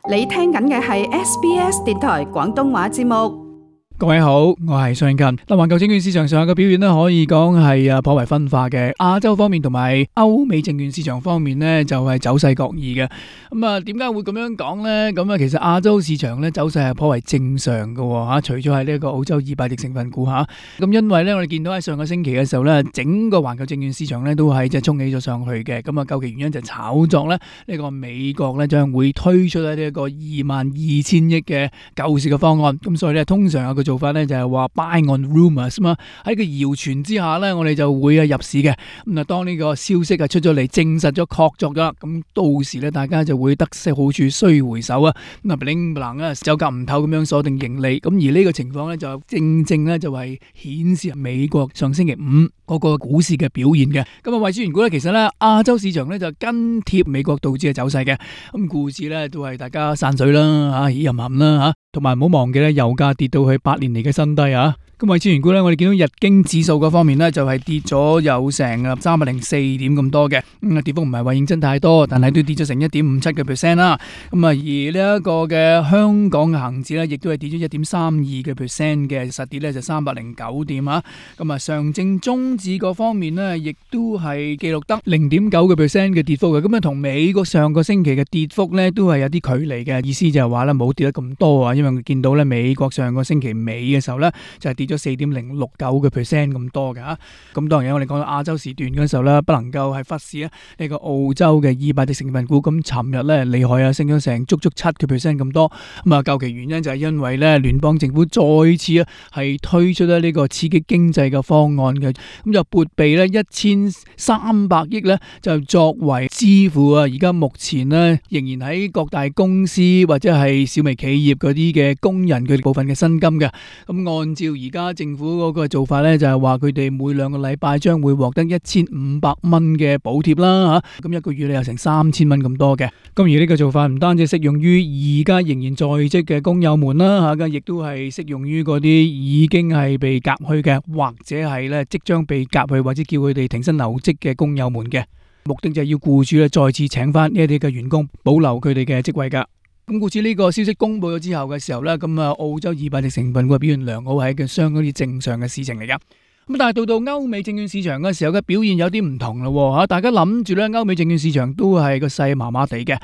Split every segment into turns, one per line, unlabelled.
你聽緊嘅係 SBS 電台廣東話節目。
各位好，我係尚近。環球證券市場上嘅表現咧，可以講係頗為分化嘅。亞洲方面同埋歐美證券市場方面咧，就係走勢各異嘅。點解會咁樣講咧？其實亞洲市場咧走勢係頗為正常嘅吓，除咗係呢一個澳洲200隻成分股吓。因為咧我哋見到喺上個星期嘅時候咧，整個環球證券市場咧都係即係衝起咗上去嘅。究其原因就炒作咧呢個美國咧將會推出呢一個22,000億嘅救市嘅方案。咁所以咧通常有個做法咧就係話 buy on rumors 嘛，喺個謠傳之下咧，我哋就會入市嘅。當呢個消息出咗嚟，證實咗確鑿咗，咁到時咧大家就會得悉好處須回首啊。bling bling 啊，走夾唔透咁樣鎖定盈利。而呢個情況咧就正咧就係顯示美國上星期五嗰個股市嘅表現嘅。為此緣故咧，其實咧亞洲市場咧就跟貼美國道指嘅走勢嘅。故事咧都係大家散水啦，吓吟吟啦吓。同埋唔好忘記咧，油價跌到去8年嚟嘅新低啊！為此緣故咧，我哋見到日經指數嗰方面咧，就係跌咗有成304點咁多嘅，跌幅唔係話認真太多，但係都跌咗成1.57%啦。而呢一個嘅香港嘅恒指咧，亦都係跌咗1.32%嘅，實跌咧就309點啊。上證綜指嗰方面咧，亦都係記錄得0.9% 嘅跌幅嘅。同美國上個星期嘅跌幅咧，都係有啲距離嘅。意思就係話咧，冇跌得咁多啊，因為我見到咧美國上個星期尾嘅時候咧，就係跌咗4.069% 咁多嘅吓。當然我哋講到亞洲時段嗰時候咧，不能夠係忽視呢個澳洲嘅200隻成分股。尋日咧厲害啊，升咗成足7% 咁多。究其原因就係因為咧聯邦政府再次係推出呢個刺激經濟嘅方案嘅，就撥備咧1300億咧就作為支付而家目前咧仍然喺各大公司或者係小微企業嗰啲嘅工人佢哋部分嘅薪金嘅。按照而家政府嗰個做法咧，就係話佢哋每2個禮拜將會獲得1500蚊嘅補貼啦吓。一個月咧有成3000蚊咁多嘅。而呢個做法唔單止適用於而家仍然在職嘅工友們啦吓，亦都係適用於嗰啲已經係被革去嘅，或者係咧即將被革去或者叫佢哋停薪留職嘅工友們嘅。目的就係要僱主咧再次請翻呢一啲嘅員工，保留佢哋嘅職位噶。故此呢個消息公布咗之後嘅時候咧，澳洲200隻成分股表現良好係一個相當之正常嘅事情嚟噶。但係到歐美證券市場嘅時候嘅表現有啲唔同咯吓，大家諗住咧歐美證券市場都係個勢麻麻地嘅。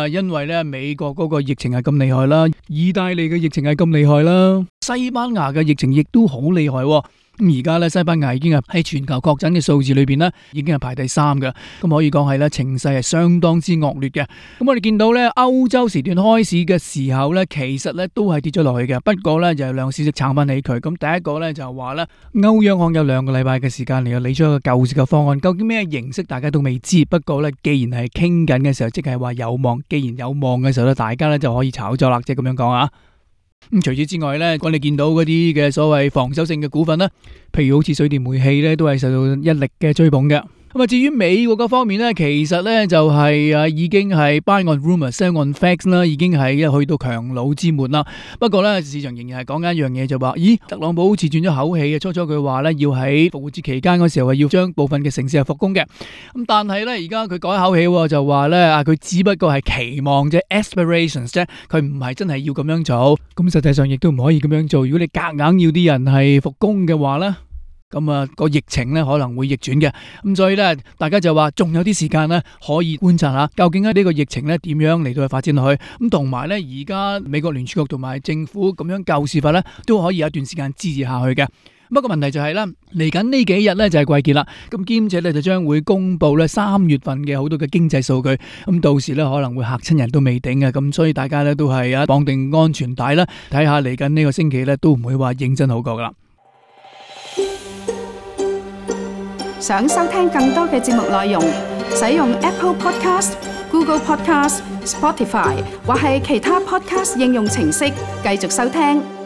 因為咧美國嗰個疫情係咁厲害啦，意大利嘅疫情係咁厲害啦，西班牙嘅疫情亦都好厲害。而家咧西班牙已經係喺全球確診嘅數字裏邊咧，已經係排第3嘅。可以講係咧情勢係相當之惡劣嘅。我哋見到咧歐洲時段開市嘅時候咧，其實咧都係跌咗落去嘅。不過咧就係兩個消息撐翻起佢。第一個咧就係話咧歐央行有2個禮拜嘅時間嚟理出一個救市嘅方案，究竟咩形式大家都未知。不過咧既然係傾緊嘅時候，即係話有望。既然有望嘅時候咧，大家咧就可以炒作啦，即係咁樣講啊。除此之外咧，我哋見到嗰啲嘅所謂防守性嘅股份咧，譬如好似水電煤氣咧，都係受到一力嘅追捧嘅。至於美國嗰方面咧，其實咧就係已經係 buy on rumors，sell on facts 啦，已經係去到強弩之末啦。不過咧，市場仍然係講緊一樣嘢，就話咦，特朗普好似轉咗口氣嘅。初佢話咧要喺復活節期間嗰時候要將部分嘅城市係復工嘅。但係咧而家佢改口氣，就話咧佢只不過係期望啫 ，aspirations 啫，佢唔係真係要咁樣做。實際上亦都唔可以咁樣做。如果你夾硬要啲人係復工嘅話咧，個疫情咧可能會逆轉嘅。所以咧大家就話仲有啲時間咧可以觀察下究竟呢個疫情咧點樣嚟到去發展落去。同埋咧而家美國聯儲局同埋政府咁樣救市法咧都可以有一段時間支持下去嘅。不過問題就係咧嚟緊呢幾日咧就係季結啦，兼且咧就將會公布咧3月份嘅好多嘅經濟數據。到時咧可能會嚇親人都未定嘅。所以大家咧都係綁定安全帶啦，睇下嚟緊呢個星期咧都唔會話認真好過噶啦。
想收聽更多嘅節目內容，使用 Apple Podcast、Google Podcast、Spotify 或係其他 Podcast 應用程式繼續收聽。